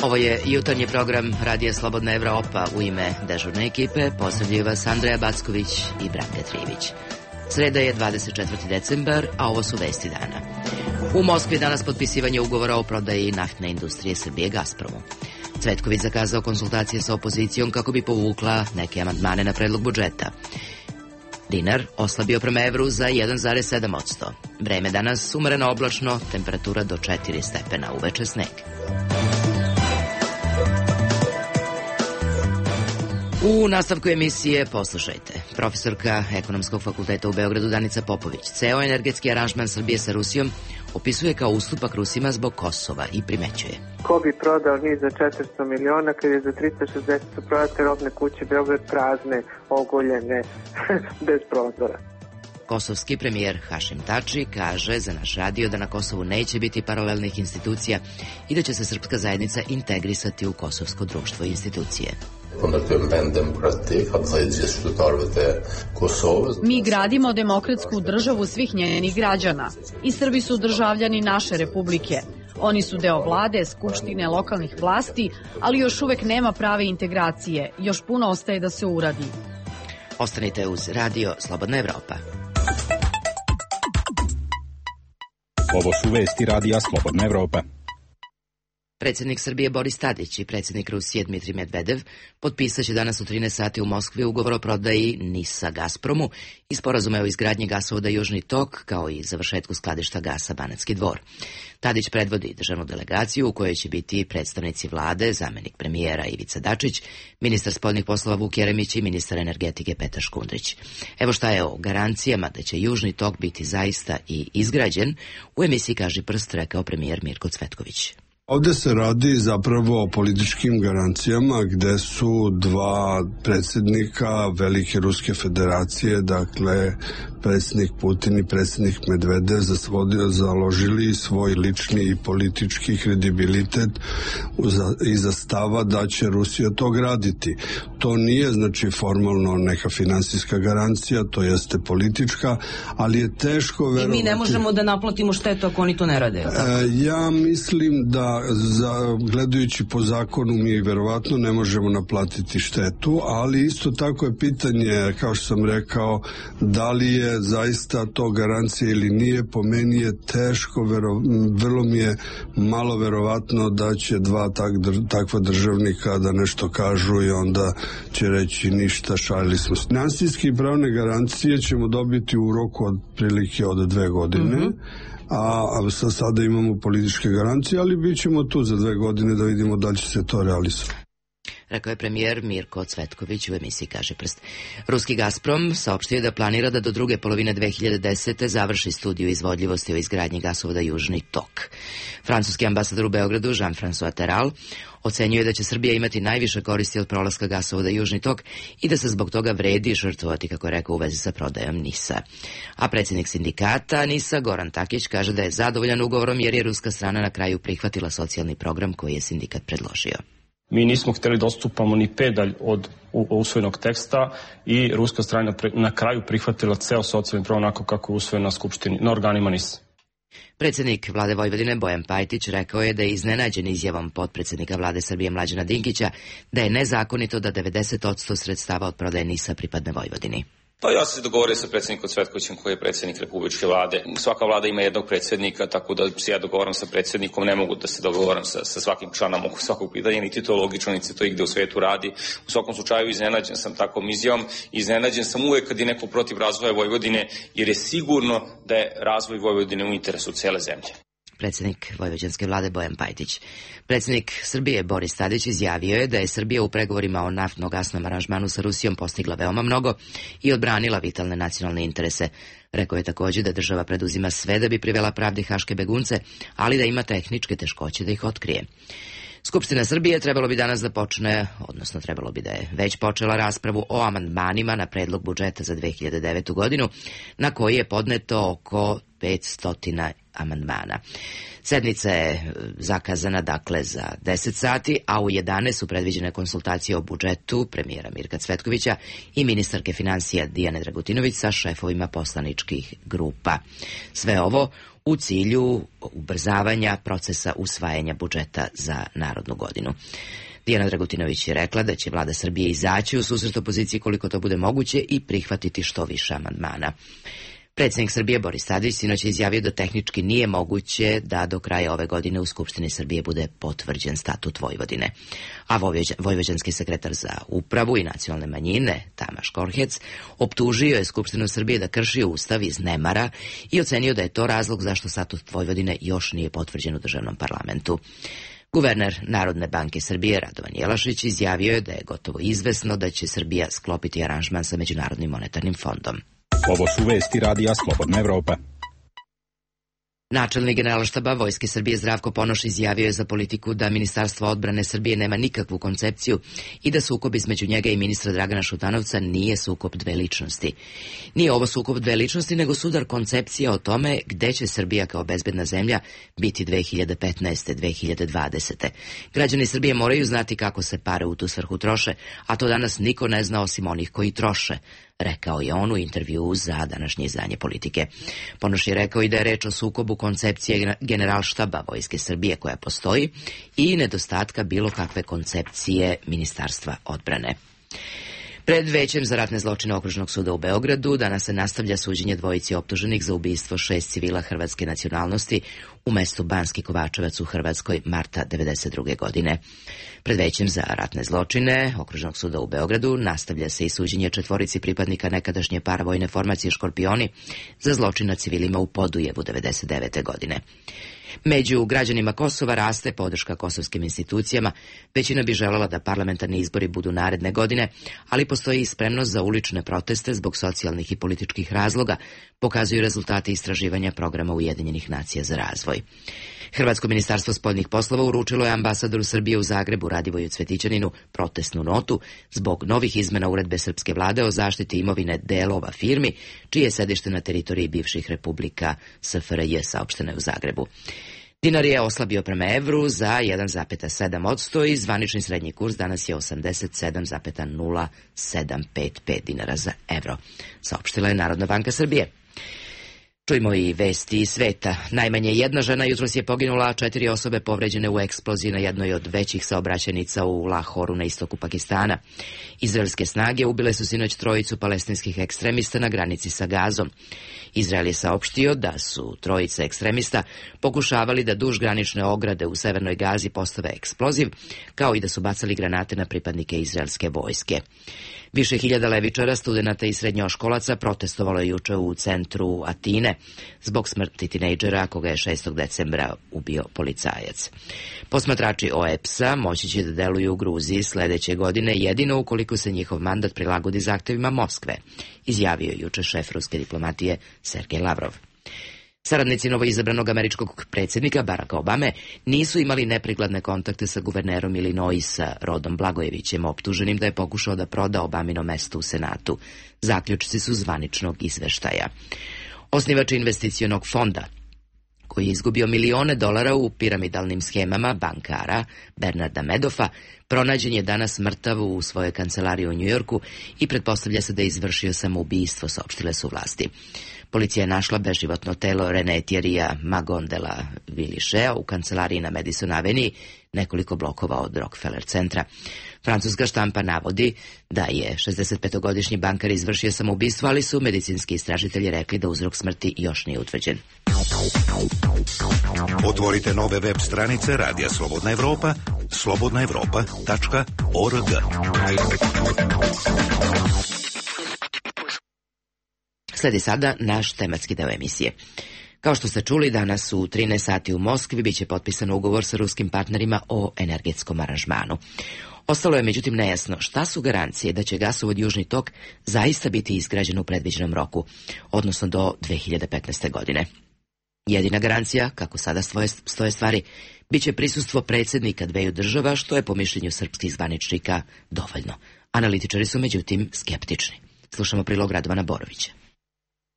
Ovo je jutarnji program Radija Slobodna Evropa. U ime dežurne ekipe pozdravljaju vas Andreja Backović i Branka Trivić. Sreda je 24. decembar, a ovo su vesti dana. U Moskvi danas potpisivanje ugovora o prodaji naftne industrije Srbije Gazpromu. Cvetković zakazao konsultacije sa opozicijom kako bi povukla neke amandmane na predlog budžeta. Dinar oslabio prema evru za 1,7%. Vreme danas umereno oblačno, temperatura do 4 stepena, uveče sneg. U nastavku emisije poslušajte. Profesorka Ekonomskog fakulteta u Beogradu Danica Popović ceo energetski aranžman Srbije sa Rusijom opisuje kao ustupak Rusima zbog Kosova i primećuje. Ko bi prodao NIS za 400 miliona kad je za 360 prodate robne kuće Beograd prazne, ogoljene, bez prozora. Kosovski premijer Hašim Tači kaže za naš radio da na Kosovu neće biti paralelnih institucija i da će se srpska zajednica integrisati u kosovsko društvo i institucije. Mi gradimo demokratsku državu svih njenih građana i Srbi su državljani naše republike. Oni su deo vlade, skupštine, lokalnih vlasti, ali još uvek nema prave integracije. Još puno ostaje da se uradi. Ostanite uz Radio Slobodna Evropa. Ovo su vesti Radija Slobodna Evropa. Predsjednik Srbije Boris Tadić i predsjednik Rusije Dmitrij Medvedev potpisaće danas u 13 sati u Moskvi ugovor o prodaji NIS-a Gazpromu i sporazume o izgradnji gasovoda Južni tok, kao i završetku skladišta gasa Banatski Dvor. Tadić predvodi državnu delegaciju u kojoj će biti predstavnici vlade, zamenik premijera Ivica Dačić, ministar spoljnih poslova Vuk Jeremić i ministar energetike Petar Škundrić. Evo šta je o garancijama da će Južni tok biti zaista i izgrađen, u emisiji Kaži prst rekao premijer Mirko Cvetković. Ovde se radi zapravo o političkim garancijama gde su dva predsjednika Velike Ruske federacije, dakle predsjednik Putin i predsjednik Medvedev založili svoj lični i politički kredibilitet iza stava da će Rusija to graditi. To nije znači formalno neka finansijska garancija, to jeste politička, ali je teško verovati. I mi ne možemo da naplatimo štetu ako oni to ne rade. Ja mislim da gledajući po zakonu mi verovatno ne možemo naplatiti štetu, ali isto tako je pitanje, kao što sam rekao, da li je zaista to garancija ili nije. Po meni je teško, vrlo mi je malo verovatno da će dva takva državnika da nešto kažu i onda će reći ništa, šalili smo. Finansijske i pravne garancije ćemo dobiti u roku od prilike od 2 godine. A sada imamo političke garancije, ali bit ćemo tu za 2 godine da vidimo da li će se to realizovati. Rekao je premijer Mirko Cvetković u emisiji Kaže prst. Ruski Gazprom saopštio da planira da do druge polovine 2010. završi studiju izvodljivosti o izgradnji gasovoda Južni tok. Francuski ambasador u Beogradu Jean-François Terral ocenjuje da će Srbija imati najviše koristi od prolaska gasovoda Južni tok i da se zbog toga vredi žrtvovati, kako je rekao, u vezi sa prodajom NIS-a. A predsjednik sindikata NIS-a Goran Takić kaže da je zadovoljan ugovorom jer je ruska strana na kraju prihvatila socijalni program koji je sindikat predložio. Mi nismo htjeli da odstupamo ni pedalj od usvojenog teksta i ruska strana na kraju prihvatila ceo socijalni program onako kako je usvojen na skupštini, na organima NIS. Predsjednik vlade Vojvodine Bojan Pajtić rekao je da je iznenađen izjavom potpredsjednika vlade Srbije Mlađana Dinkića da je nezakonito da 90% sredstava od prodaje NIS-a pripadne Vojvodini. Pa ja sam se dogovorio sa predsjednikom Cvetkovićem koji je predsjednik Republičke vlade. Svaka vlada ima jednog predsjednika, tako da se ja dogovaram sa predsjednikom, ne mogu da se dogovaram sa svakim članom oko svakog pitanja, niti to logično, niti to igde u svetu radi. U svakom slučaju iznenađen sam takvom izjavom, iznenađen sam uvek kad je neko protiv razvoja Vojvodine, jer je sigurno da je razvoj Vojvodine u interesu cele zemlje. Predsjednik vojvođanske vlade Bojan Pajtić. Predsjednik Srbije Boris Tadić izjavio je da je Srbija u pregovorima o naftno-gasnom aranžmanu sa Rusijom postigla veoma mnogo i odbranila vitalne nacionalne interese. Rekao je također da država preduzima sve da bi privela pravdi haške begunce, ali da ima tehničke teškoće da ih otkrije. Skupština Srbije trebalo bi danas da počne, odnosno trebalo bi da je već počela raspravu o amandmanima na predlog budžeta za 2009. godinu, na koji je podneto oko 500 amandmana. Sednica je zakazana dakle za 10 sati, a u 11 su predviđene konsultacije o budžetu premijera Mirka Cvetkovića i ministarke financija Dijane Dragutinović sa šefovima poslaničkih grupa. Sve ovo u cilju ubrzavanja procesa usvajanja budžeta za narodnu godinu. Dijana Dragutinović je rekla da će vlada Srbije izaći u susret opoziciji koliko to bude moguće i prihvatiti što više amandmana. Predsjednik Srbije Boris Tadić sinoć je izjavio da tehnički nije moguće da do kraja ove godine u Skupštini Srbije bude potvrđen statut Vojvodine. A vojvođanski sekretar za upravu i nacionalne manjine, Tamaš Korhec, optužio je Skupštinu Srbije da krši ustav iz nemara i ocenio da je to razlog zašto statut Vojvodine još nije potvrđen u državnom parlamentu. Guverner Narodne banke Srbije Radovan Jelašić izjavio je da je gotovo izvesno da će Srbija sklopiti aranžman sa Međunarodnim monetarnim fondom. Ovo su vesti radija Slobodna Evropa. Načelnik Generalštaba Vojske Srbije Zdravko Ponoš izjavio je za Politiku da Ministarstvo odbrane Srbije nema nikakvu koncepciju i da sukob između njega i ministra Dragana Šutanovca nije sukob dve ličnosti. Nije ovo sukob dve ličnosti, nego sudar koncepcija o tome gde će Srbija kao bezbedna zemlja biti 2015. 2020. Građani Srbije moraju znati kako se pare u tu svrhu troše, a to danas niko ne zna osim onih koji troše, rekao je on u intervjuu za današnje izdanje Politike. Ponoš je rekao i da je reč o sukobu koncepcije Generalštaba Vojske Srbije koja postoji i nedostatka bilo kakve koncepcije Ministarstva odbrane. Pred Većem za ratne zločine Okružnog suda u Beogradu danas se nastavlja suđenje dvojici optuženih za ubistvo 6 civila hrvatske nacionalnosti u mestu Banski Kovačevac u Hrvatskoj marta 1992. godine. Pred Većem za ratne zločine Okružnog suda u Beogradu nastavlja se i suđenje 4 pripadnika nekadašnje paravojne formacije Škorpioni za zločin nad civilima u Podujevu 1999. godine. Među građanima Kosova raste podrška kosovskim institucijama. Većina bi želela da parlamentarni izbori budu naredne godine, ali postoji i spremnost za ulične proteste zbog socijalnih i političkih razloga, pokazuju rezultati istraživanja programa Ujedinjenih nacija za razvoj. Hrvatsko ministarstvo spoljnih poslova uručilo je ambasadoru Srbije u Zagrebu Radivoju Cvetićaninu protestnu notu zbog novih izmena uredbe srpske vlade o zaštiti imovine delova firmi, čije je sedište na teritoriji bivših republika SFRJ, saopšteno je u Zagrebu. Dinar je oslabio prema evru za 1,7% i zvanični srednji kurs danas je 87,0755 dinara za evro, saopštila je Narodna banka Srbije. Čujmo i vesti iz sveta. Najmanje jedna žena jutros je poginula, a 4 osobe povređene u eksploziji na jednoj od većih saobraćajnica u Lahoru na istoku Pakistana. Izraelske snage ubile su sinoć 3 palestinskih ekstremista na granici sa Gazom. Izrael je saopštio da su 3 ekstremista pokušavali da duž granične ograde u severnoj Gazi postave eksploziv, kao i da su bacali granate na pripadnike izraelske vojske. Više hiljada levičara, studenata i srednjoškolaca protestovalo je juče u centru Atine zbog smrti tinejdžera koga je 6. decembra ubio policajac. Posmatrači OEPS-a moći će da deluju u Gruziji sledeće godine jedino ukoliko se njihov mandat prilagodi zahtevima Moskve, izjavio je juče šef ruske diplomatije Sergej Lavrov. Saradnici novoizabranog američkog predsjednika Baracka Obame nisu imali neprikladne kontakte sa guvernerom Illinoisa Rodom Blagojevićem, optuženim da je pokušao da proda Obamino mesto u Senatu. Zaključci su zvaničnog izveštaja. Osnivač investicionog fonda, koji je izgubio milione dolara u piramidalnim schemama bankara Bernarda Medoffa, pronađen je danas mrtav u svojoj kancelariji u Njujorku i pretpostavlja se da je izvršio samoubistvo, saopštile su vlasti. Policija je našla beživotno telo René Thierrya Magondela Vilichea u kancelariji na Madison Avenue, nekoliko blokova od Rockefeller centra. Francuska štampa navodi da je 65-godišnji bankar izvršio samoubistvo, ali su medicinski istražitelji rekli da uzrok smrti još nije utvrđen. Otvorite nove web stranice Radija Slobodna Evropa, slobodnaevropa.org. Sledi sada naš tematski deo emisije. Kao što ste čuli, danas u 13 sati u Moskvi biće potpisan ugovor sa ruskim partnerima o energetskom aranžmanu. Ostalo je međutim nejasno šta su garancije da će gasovod Južni tok zaista biti izgrađen u predviđenom roku, odnosno do 2015. godine. Jedina garancija, kako sada stoje stvari, biće prisustvo predsjednika dveju država, što je po mišljenju srpskih zvaničnika dovoljno. Analitičari su međutim skeptični. Slušamo prilog Radovana Borovića.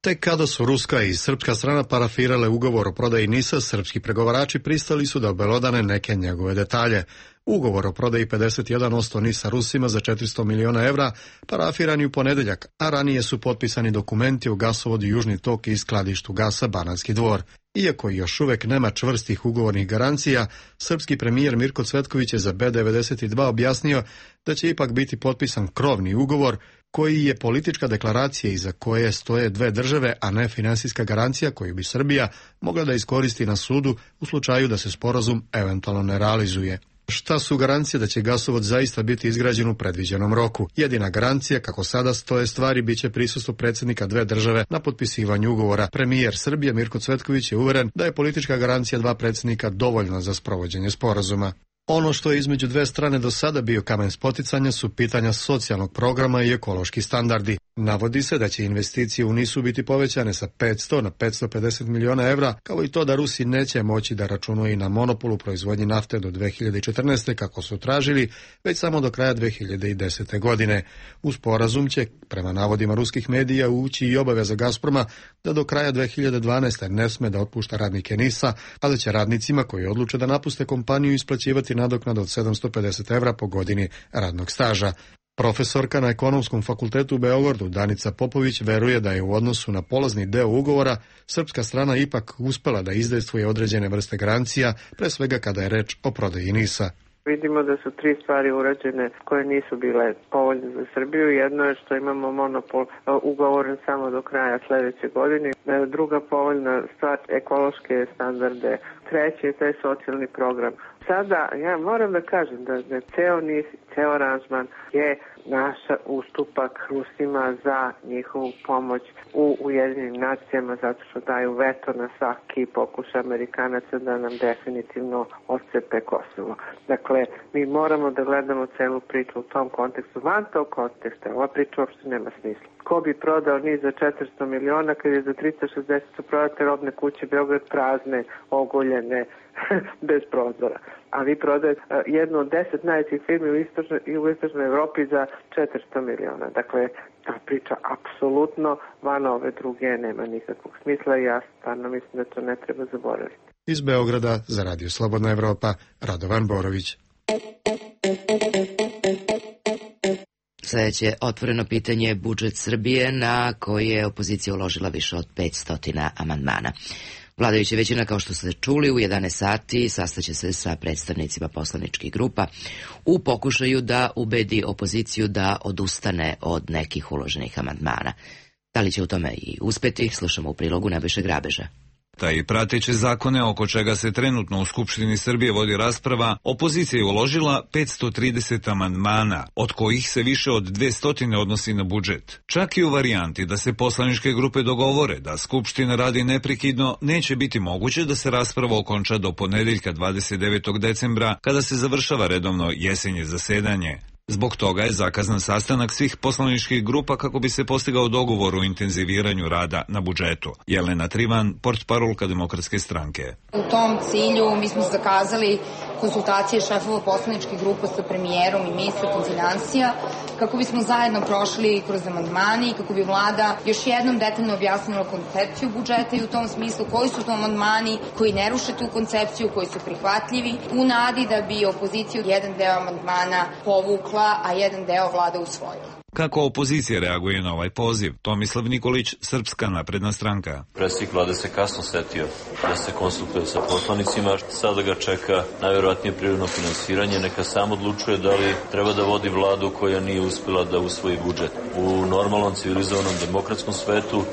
Tek kada su ruska i srpska strana parafirale ugovor o prodaji NIS-a, srpski pregovarači pristali su da obelodane neke njegove detalje. Ugovor o prodaji 51% NIS-a Rusima za 400 miliona evra parafiran je u ponedeljak, a ranije su potpisani dokumenti o gasovodu Južni tok i skladištu gasa Banatski Dvor. Iako još uvek nema čvrstih ugovornih garancija, srpski premijer Mirko Cvetković je za B92 objasnio da će ipak biti potpisan krovni ugovor koji je politička deklaracija iza koje stoje dve države, a ne finansijska garancija koju bi Srbija mogla da iskoristi na sudu u slučaju da se sporazum eventualno ne realizuje. Šta su garancije da će gasovod zaista biti izgrađen u predviđenom roku? Jedina garancija, kako sada stoje stvari, biće prisustvo predsjednika dve države na potpisivanju ugovora. Premijer Srbije Mirko Cvetković je uveren da je politička garancija dva predsjednika dovoljna za sprovođenje sporazuma. Ono što je između dve strane do sada bio kamen spoticanja su pitanja socijalnog programa i ekološki standardi. Navodi se da će investicije u NIS-u biti povećane sa 500 na 550 miliona evra, kao i to da Rusi neće moći da računaju i na monopolu proizvodnji nafte do 2014. kako su tražili, već samo do kraja 2010. godine. U sporazum će, prema navodima ruskih medija, ući i obaveza Gazproma da do kraja 2012. ne sme da otpušta radnike NIS-a, a da će radnicima koji odluče da napuste kompaniju isplaćivati nadoknadu od 750 evra po godini radnog staža. Profesorka na Ekonomskom fakultetu u Beogradu Danica Popović veruje da je u odnosu na polazni deo ugovora srpska strana ipak uspela da izdejstvuje određene vrste garancija, pre svega kada je reč o prodaji NIS-a. Vidimo da su tri stvari urađene koje nisu bile povoljne za Srbiju. Jedno je što imamo monopol ugovoren samo do kraja sledeće godine. Druga povoljna stvar, ekološke standarde. Treći je taj socijalni program. Sada ja moram da kažem da ceo NIS, ceo aranžman je naša ustupak Rusima za njihovu pomoć u Ujedinjenim nacijama zato što daju veto na svaki pokušaj Amerikanaca da nam definitivno odcepe Kosovo. Dakle, mi moramo da gledamo celu priču u tom kontekstu. Van tog konteksta, ova priča uopšte nema smisla. Ko bi prodao NIS za 400 miliona kad je za 360 prodate robne kuće Beograd prazne, ogoljene, bez prozora. A vi prodajete jednu od 10 najvećih firmi u istočnoj Evropi za 400 miliona. Dakle, ta priča apsolutno van ove druge nema nikakvog smisla i ja stvarno mislim da to ne treba zaboraviti. Iz Beograda za Radio Slobodna Evropa, Radovan Borović. Sljedeće otvoreno pitanje je budžet Srbije na koji je opozicija uložila više od 500 amandmana. Vladajuća većina, kao što ste čuli, u 11 sati sastaće se sa predstavnicima poslaničkih grupa u pokušaju da ubedi opoziciju da odustane od nekih uloženih amandmana. Da li će u tome i uspeti, slušamo u prilogu Nebojše Grabeža. I prateće zakone oko čega se trenutno u Skupštini Srbije vodi rasprava, opozicija je uložila 530 amandmana, od kojih se više od 200 odnosi na budžet. Čak i u varijanti da se poslaničke grupe dogovore da Skupština radi neprekidno, neće biti moguće da se rasprava okonča do ponedeljka 29. decembra, kada se završava redovno jesenje zasedanje. Zbog toga je zakazan sastanak svih poslaničkih grupa kako bi se postigao dogovor o intenziviranju rada na budžetu. Jelena Trivan, portparolka Demokratske stranke. U tom cilju mi smo zakazali konsultacije šefova poslaničkih grupa sa premijerom i ministrom finansija kako bismo zajedno prošli kroz amandmani i kako bi vlada još jednom detaljno objasnila koncepciju budžeta i u tom smislu koji su to amandmani koji ne ruše tu koncepciju, koji su prihvatljivi, u nadi da bi opoziciju jedan deo amandmana povukla, a jedan deo vlada usvojila. Kako opozicija reaguje na ovaj poziv? Tomislav Nikolić, Srpska napredna stranka. Predsjednik vlade se kasno setio da se konsultuje sa poslanicima. Sada ga čeka najverovatnije prirodno finansiranje. Neka sam odlučuje da li treba da vodi vladu koja nije uspela da usvoji budžet. U normalnom, civilizovanom, demokratskom svetu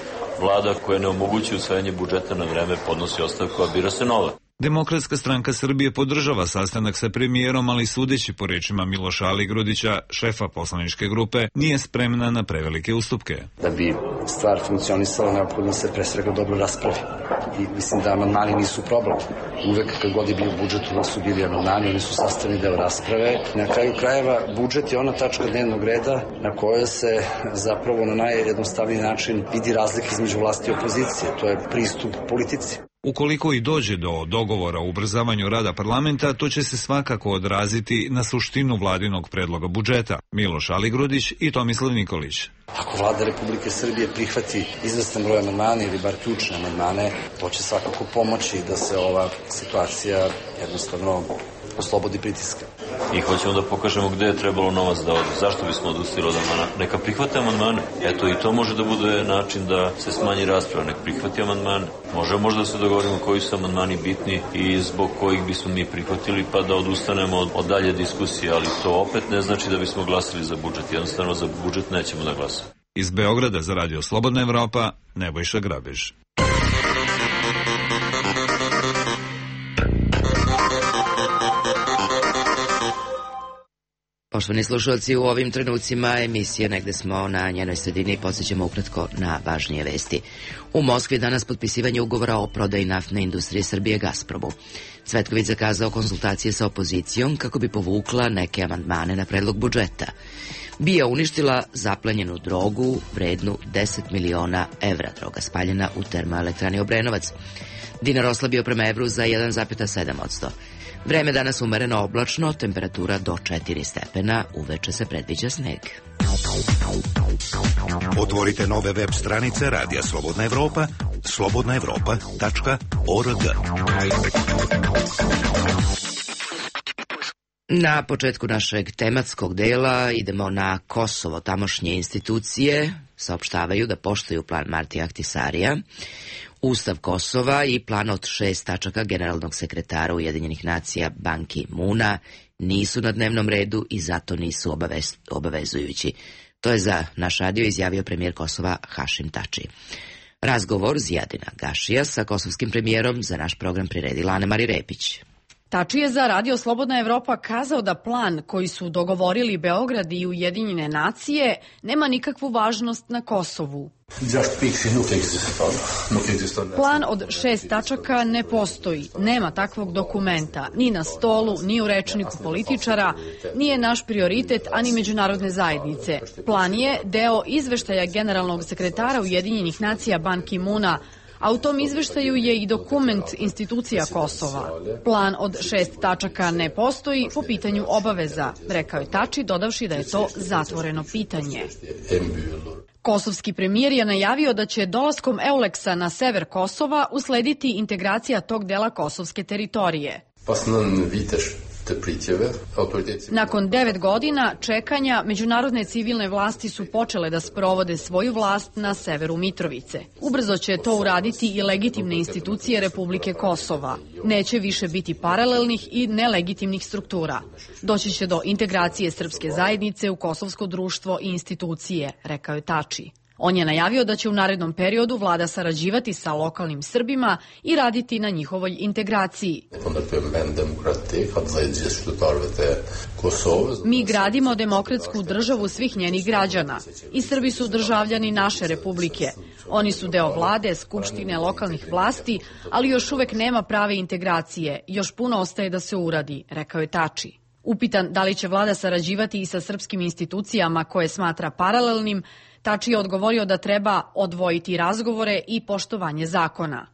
vlada koja ne omogućuje usvajanje budžeta na vreme podnosi ostavku, a bira se nova. Demokratska stranka Srbije podržava sastanak sa premijerom, ali sudeći po rečima Miloša Aligrudića, šefa poslaničke grupe, nije spremna na prevelike ustupke. Da bi stvar funkcionisala, neophodno se pre svega dobro raspravi. I mislim da amandmani nisu problem. Uvek kad god je bio budžet, uvek su bili amandmani, oni su sastavni deo rasprave. Na kraju krajeva, budžet je ona tačka dnevnog reda na kojoj se zapravo na najjednostavniji način vidi razlika između vlasti i opozicije. To je pristup politici. Ukoliko i dođe do dogovora o ubrzavanju rada parlamenta, to će se svakako odraziti na suštinu vladinog predloga budžeta. Miloš Aligrudić i Tomislav Nikolić. Ako vlada Republike Srbije prihvati izvestan broj amandmana ili bar ključne amandmane, to će svakako pomoći da se ova situacija jednostavno oslobodi pritiska. I hoćemo da pokažemo gde je trebalo novac da ode. Zašto bismo odustili od amandmana? Neka prihvate amandmane. Eto, i to može da bude način da se smanji rasprava. Nek prihvati amandmane. Može možda da se dogovorimo koji su amandmani bitni i zbog kojih bismo mi prihvatili, pa da odustanemo od dalje diskusije, ali to opet ne znači da bismo glasili za budžet. Jednostavno za budžet nećemo da glasamo. Iz Beograda za Radio Slobodna Evropa, Nebojša Grabež. Poštovani slušalci, u ovim trenucima emisije Negde smo na njenoj sredini i podsjećamo ukratko na važnije vesti. U Moskvi danas potpisivanje ugovora o prodaji naftne industrije Srbije Gazpromu. Cvetković zakazao konsultacije sa opozicijom kako bi povukla neke amandmane na predlog budžeta. BIA uništila zaplenjenu drogu vrednu 10 miliona evra, droga spaljena u termoelektrani Obrenovac. Dinar oslabio prema evru za 1,7%. Vreme danas umereno oblačno, temperatura do 4 stepena, uveče se predviđa sneg. Otvorite nove web stranice Radija Slobodna Evropa, slobodnaevropa.org. Na početku našeg tematskog dela idemo na Kosovo. Tamošnje institucije saopštavaju da poštuju plan Martija Ahtisarija, Ustav Kosova i plan od 6 tačaka generalnog sekretara Ujedinjenih nacija Ban Ki-moona nisu na dnevnom redu i zato nisu obavezujući. To je za naš radio izjavio premijer Kosova Hašim Tači. Razgovor Zijadina Gašija sa kosovskim premijerom za naš program priredila Anemari Repić. Tači je za Radio Slobodna Evropa kazao da plan koji su dogovorili Beograd i Ujedinjene nacije nema nikakvu važnost na Kosovu. Plan od 6 tačaka ne postoji, nema takvog dokumenta, ni na stolu, ni u rečniku političara, nije naš prioritet, ani međunarodne zajednice. Plan je deo izveštaja generalnog sekretara Ujedinjenih nacija Ban Ki-moona, a u tom izveštaju je i dokument institucija Kosova. Plan od 6 tačaka ne postoji po pitanju obaveza, rekao je Tači, dodavši da je to zatvoreno pitanje. Kosovski premijer je najavio da će dolaskom EULEX-a na sever Kosova uslediti integracija tog dela kosovske teritorije. Nakon 9 godina čekanja, međunarodne civilne vlasti su počele da sprovode svoju vlast na severu Mitrovice. Ubrzo će to uraditi i legitimne institucije Republike Kosova. Neće više biti paralelnih i nelegitimnih struktura. Doći će do integracije srpske zajednice u kosovsko društvo i institucije, rekao je Tači. On je najavio da će u narednom periodu vlada sarađivati sa lokalnim Srbima i raditi na njihovoj integraciji. Mi gradimo demokratsku državu svih njenih građana i Srbi su državljani naše republike. Oni su deo vlade, skupštine, lokalnih vlasti, ali još uvek nema prave integracije. Još puno ostaje da se uradi, rekao je Tači. Upitan da li će vlada sarađivati i sa srpskim institucijama koje smatra paralelnim, Tači je odgovorio da treba odvojiti razgovore i poštovanje zakona.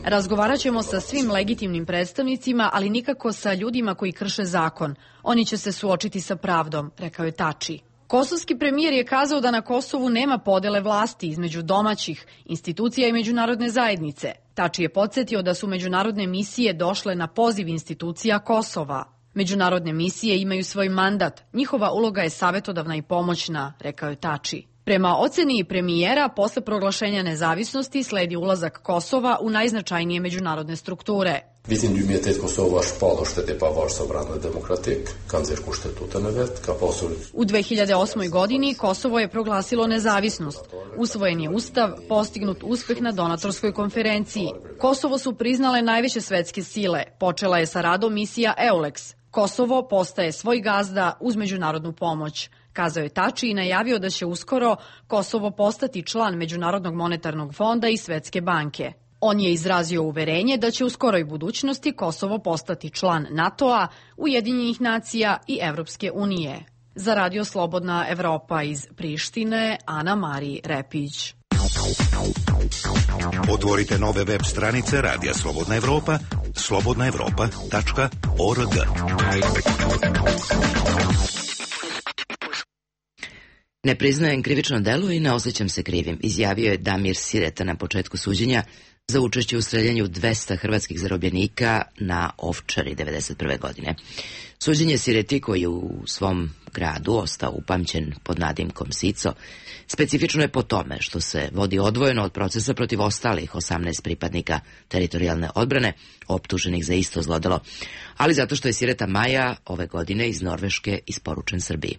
Razgovarat ćemo sa svim legitimnim predstavnicima, ali nikako sa ljudima koji krše zakon. Oni će se suočiti sa pravdom, rekao je Tači. Kosovski premijer je kazao da na Kosovu nema podele vlasti između domaćih institucija i međunarodne zajednice. Tači je podsjetio da su međunarodne misije došle na poziv institucija Kosova. Međunarodne misije imaju svoj mandat, njihova uloga je savetodavna i pomoćna, rekao je Tači. Prema oceni premijera, posle proglašenja nezavisnosti sledi ulazak Kosova u najznačajnije međunarodne strukture. U 2008. godini Kosovo je proglasilo nezavisnost. Usvojen je ustav, postignut uspeh na donatorskoj konferenciji. Kosovo su priznale najveće svetske sile. Počela je sa radom misija EULEX. Kosovo postaje svoj gazda uz međunarodnu pomoć. Kazao je Tači i najavio da će uskoro Kosovo postati član Međunarodnog monetarnog fonda i Svetske banke. On je izrazio uverenje da će u skoroj budućnosti Kosovo postati član NATO-a, Ujedinjenih nacija i Evropske unije. Za Radio Slobodna Evropa iz Prištine, Ana-Mari Repić. Otvorite nove web stranice Radija Slobodna Evropa, slobodnaevropa.org. Ne priznajem krivično delo i ne osjećam se krivim, izjavio je Damir Sireta na početku suđenja za učešće u streljanju 200 hrvatskih zarobljenika na Ovčari 1991. godine. Suđenje Sireti, koji je u svom gradu ostao upamćen pod nadimkom Sico, specifično je po tome što se vodi odvojeno od procesa protiv ostalih 18 pripadnika teritorijalne odbrane, optuženih za isto zlodelo, ali zato što je Sireta Maja ove godine iz Norveške isporučen Srbiji.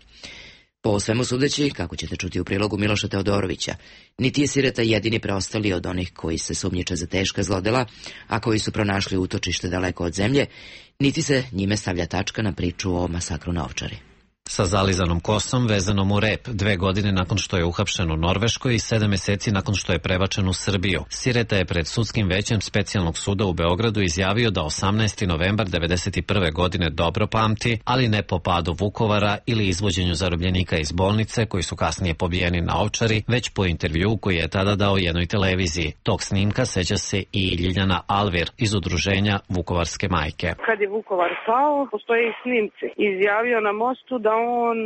Po svemu sudeći, kako ćete čuti u prilogu Miloša Teodorovića, niti je Sireta jedini preostali od onih koji se sumnjiče za teška zlodela, a koji su pronašli utočište daleko od zemlje, niti se njime stavlja tačka na priču o masakru na Ovčari. Sa zalizanom kosom vezanom u rep 2 godine nakon što je uhapšen u Norveškoj i 7 meseci nakon što je prebačen u Srbiju. Sireta je pred sudskim većem specijalnog suda u Beogradu izjavio da 18. novembar 1991. godine dobro pamti, ali ne po padu Vukovara ili izvođenju zarobljenika iz bolnice koji su kasnije pobijeni na Ovčari, već po intervju koji je tada dao jednoj televiziji. Tog snimka seća se i Ljiljana Alvir iz udruženja Vukovarske majke. Kad je Vukovar pao, postoje i snimci. Izjavio na mostu da on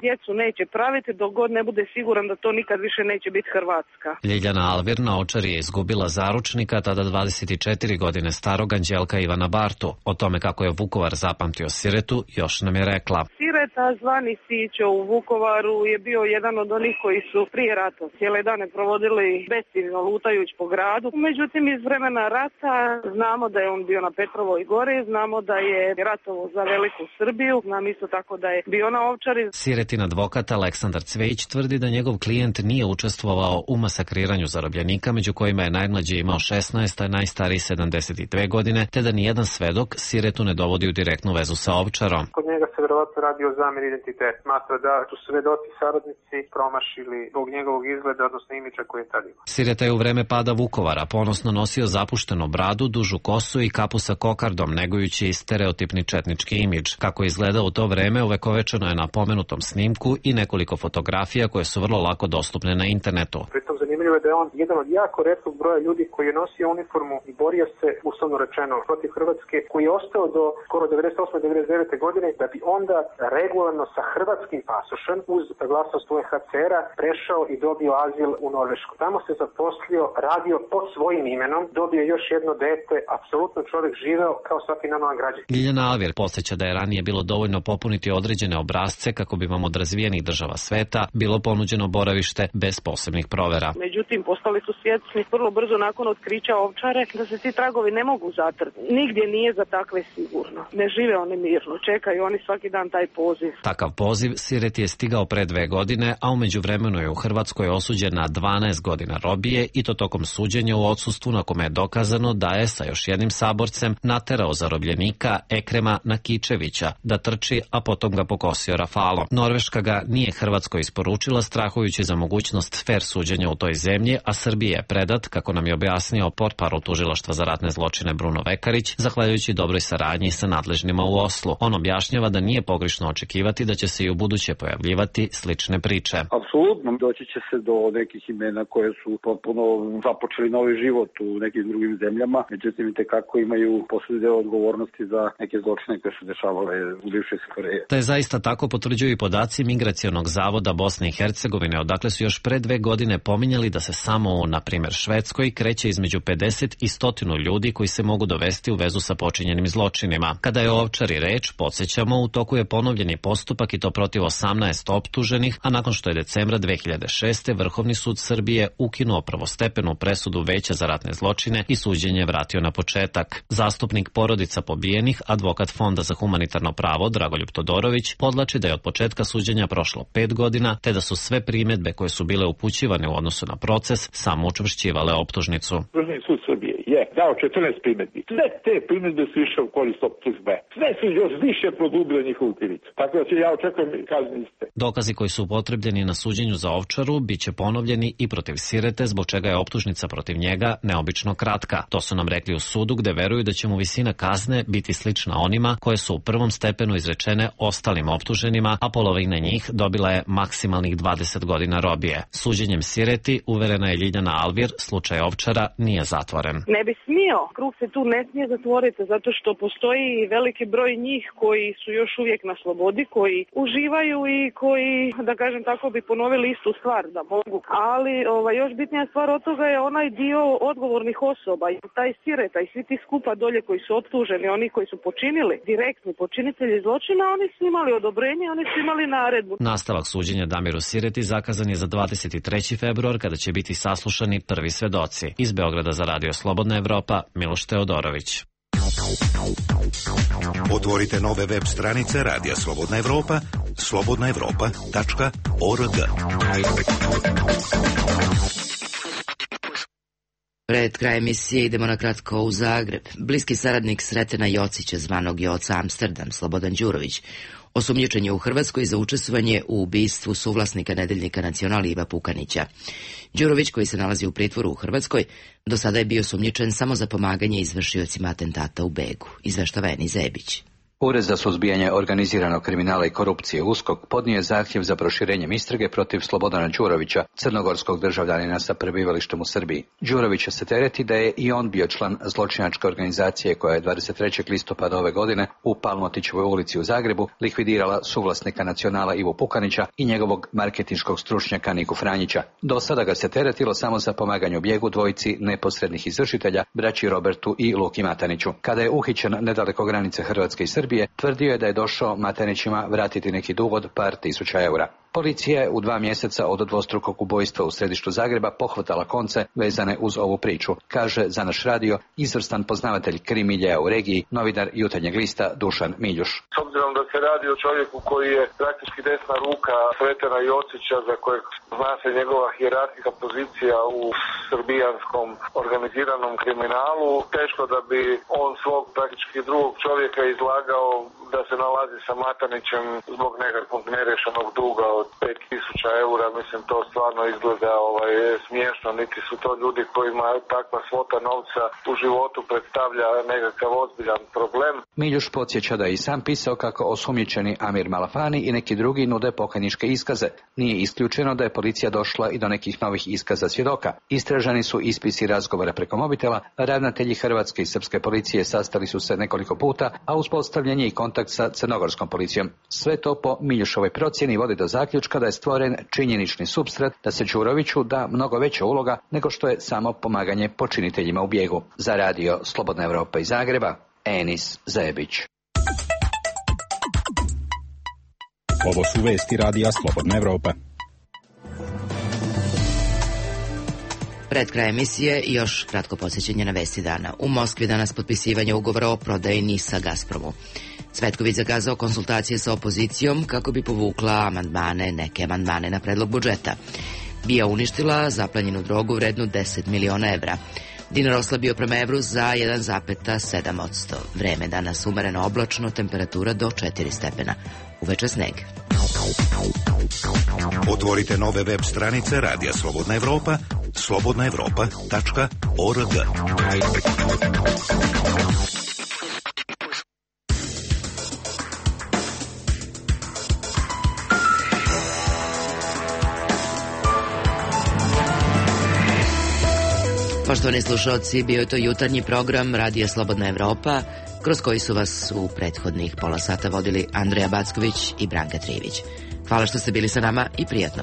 djecu neće praviti dok god ne bude siguran da to nikad više neće biti Hrvatska. Ljiljana Alvir na Ovčari je izgubila zaručnika, tada 24 godine starog Anđelka Ivana Bartu. O tome kako je Vukovar zapamtio Siretu još nam je rekla. Sireta zvani Sićo u Vukovaru je bio jedan od onih koji su prije rata cijele dane provodili besciljno lutajući po gradu. Međutim, iz vremena rata znamo da je on bio na Petrovoj gori, znamo da je ratovo za Veliku Srbiju, znam isto tako da je bio na Ovčari. Siretin advokat Aleksandar Cvejić tvrdi da njegov klijent nije učestvovao u masakriranju zarobljenika, među kojima je najmlađi imao 16, a najstariji 72 godine, te da nijedan svedok Siretu ne dovodi u direktnu vezu sa Ovčarom. Kod njega se verovatno radi o zamjeri identitet. Smatra da su svedoci saradnici promašili zbog njegovog izgleda, odnosno imidža koji je tad imao. Sireta je u vreme pada Vukovara ponosno nosio zapuštenu bradu, dužu kosu i kapu sa kokardom, negujući stereotipni četnički imidž. Kako je izgledao u to vreme, uvekovečeno je na pomenutom snimku i nekoliko fotografija koje su vrlo lako dostupne na internetu. Pritom zanimljivo je da je on jedan od jako retkog broja ljudi koji je nosio uniformu i borio se, uslovno rečeno, protiv Hrvatske, koji je ostao do skoro 98-99. godine, da bi onda regularno sa hrvatskim pasošem uz glasnost UNHCR-a prešao i dobio azil u Norvešku. Tamo se zaposlio, radio pod svojim imenom, dobio još jedno dete, apsolutno čovjek živeo kao svaki normalan građanin. Ljiljana Alvir podsjeća da je ranije bilo dovoljno popuniti određene obrazce kako bi vam od razvijenih država sveta bilo ponuđeno boravište bez posebnih provera. Međutim, postali su svjesni vrlo brzo nakon otkrića Ovčare da se ti tragovi ne mogu zatrti. Nigdje nije za takve sigurno. Ne žive oni mirno, čekaju oni svaki dan taj poziv. Takav poziv Sireti je stigao pre 2 godine, a umeđu vremenu je u Hrvatskoj osuđen na 12 godina robije i to tokom suđenja u odsustvu na kome je dokazano da je sa još jednim saborcem naterao zarobljenika Ekrema Nakičevića da trči, a potom ga pokosio rafalom. Norveška ga nije Hrvatskoj isporučila strahujući za mogućnost fer suđenja u toj zemlji, a Srbije je predat, kako nam je objasnio portparol Tužilaštva za ratne zločine Bruno Vekarić, zahvaljujući dobroj saradnji sa nadležnima u Oslu. On objašnjava da nije pogrešno očekivati da će se i u buduće pojavljivati slične priče. Apsolutno, doći će se do nekih imena koje su potpuno započeli novi život u nekim drugim zemljama, međutim i tekako imaju posebni deo odgovornosti za neke zločine koje su dešavale u bivšoj SFRJ. Da je zaista tako potvrđuju i podaci Migracionog zavoda Bosne i Hercegovine, odakle su još pre 2 godine pominjali da se samo u, na primjer, Švedskoj kreće između 50 i 100 ljudi koji se mogu dovesti u vezu sa počinjenim zločinima. Kada je o Ovčari reč, podsjećamo, u toku je ponovljeni postupak i to protiv 18 optuženih, a nakon što je decembra 2006. Vrhovni sud Srbije ukinuo prvostepenu presudu Veća za ratne zločine i suđenje vratio na početak. Zastupnik porodica pobijenih, advokat Fonda za humanitarno pravo Dragoljub Todorović, podlači da je od početka suđenja prošlo 5 godina, te da su sve primjedbe koje su bile upućivane u odnosu na proces samo učvršćivale optužnicu. Vrhovni sud Srbije je dao 14 primjedbi. Sve te primjedbe su išle u korist optužbe. Sve su još više produbile njihovu krivicu. Tako da ja očekujem kazni iste. Dokazi koji su upotrebljeni na suđenju za Ovčaru biće ponovljeni i protiv Sirete, zbog čega je optužnica protiv njega neobično kratka. To su nam rekli u sudu, gde veruju da će mu visina kazne biti slična onima koje su u prvom stepenu izrečene ostalim optužnicama optuženima, a polovina njih dobila je maksimalnih 20 godina robije. Suđenjem Sireti, uverena je Ljiljana Alvir, slučaj Ovčara nije zatvoren. Ne bi smio, krug se tu ne smije zatvoriti, zato što postoji veliki broj njih koji su još uvijek na slobodi, koji uživaju i koji, da kažem tako, bi ponovili istu stvar da mogu. Ali još bitnija stvar od toga je onaj dio odgovornih osoba, i taj Sireta i svi ti skupa dolje koji su optuženi, oni koji su počinili, direktni počinitelji zločina, oni su imali odobrenje, oni su imali naredbu. Nastavak suđenja Damiru Sireti zakazan je za 23. februar, kada će biti saslušani prvi svedoci. Iz Beograda za Radio Slobodna Evropa, Miloš Teodorović. Otvorite nove web stranice Radija Slobodna Evropa, slobodnaevropa.org. Pred kraj emisije idemo na kratko u Zagreb. Bliski saradnik Sretena Jocića, zvanog Joca Amsterdam, Slobodan Đurović, osumnjičen je u Hrvatskoj za učestvovanje u ubistvu suvlasnika nedeljnika Nacional Iva Pukanića. Đurović, koji se nalazi u pritvoru u Hrvatskoj, do sada je bio osumnjičen samo za pomaganje izvršiocima atentata u Begu, izveštava Eni Zebić. Ured za suzbijanje organiziranog kriminala i korupcije USKOK podnio je zahtjev za proširenjem istrage protiv Slobodana Đurovića, crnogorskog državljanina sa prebivalištem u Srbiji. Đurovića se tereti da je i on bio član zločinačke organizacije koja je 23. listopada ove godine u Palmotićevoj ulici u Zagrebu likvidirala suvlasnika Nacionala Ivu Pukanića i njegovog marketinškog stručnjaka Niku Franjića. Do sada ga se teretilo samo za pomaganje u bijegu dvojici neposrednih izvršitelja, braći Robertu i Luki Mataniću. Kada je uhićen nedaleko granice Hrvatske i Srbije, tvrdio je da je došao Matanićima vratiti neki dug od par tisuća eura. Policija je u 2 mjeseca od dvostrukog ubojstva u središtu Zagreba pohvatala konce vezane uz ovu priču, kaže za naš radio izvrstan poznavatelj krimiljeja u regiji, novinar Jutarnjeg lista Dušan Miljuš. S obzirom da se radi o čovjeku koji je praktički desna ruka Sretena Jocića, za kojeg zna se njegova hijerarhijska pozicija u srbijanskom organiziranom kriminalu, teško da bi on svog praktički drugog čovjeka izlagao da se nalazi sa Matanićem zbog nekakvog nerješenog duga od 5000 eura. Mislim, to stvarno izgleda smiješno, niti su to ljudi kojima takva svota novca u životu predstavlja nekakav ozbiljan problem. Miljuš podsjeća da je i sam pisao kako osumnjičeni Amir Malafani i neki drugi nude pokajničke iskaze. Nije isključeno da je policija došla i do nekih novih iskaza svjedoka. Istražani su ispisi razgovora preko mobitela, ravnatelji hrvatske i srpske policije sastali su se nekoliko puta, a uspostavljen je i kontakt sa crnogorskom policijom. Sve to po Miljušovoj procjeni vodi do zaključka da je stvoren činjenični supstrat da se Đuroviću da mnogo veća uloga nego što je samo pomaganje počiniteljima u bijegu. Za Radio Slobodna Evropa iz Zagreba, Enis Zebić. Ovo su vesti Radija Slobodna Evropa. Pred kraj emisije još kratko podsjećanje na vesti dana. U Moskvi danas potpisivanje ugovora o prodaji NIS-a Gazpromu. Cvetković zakazao konsultacije sa opozicijom kako bi povukla neke amandmane na predlog budžeta. BIA uništila zaplanjenu drogu vrednu 10 miliona evra. Dinar oslabio prema evru za 1,7%. Vreme danas umereno oblačno, temperatura do 4 stepena. Uveče sneg. Otvorite nove web stranice Radija Slobodna Evropa, slobodnaevropa.org. Poštovani slušalci, bio je to jutarnji program Radija Slobodna Evropa, kroz koji su vas u prethodnih pola sata vodili Andreja Backović i Branka Trivić. Hvala što ste bili sa nama i prijatno.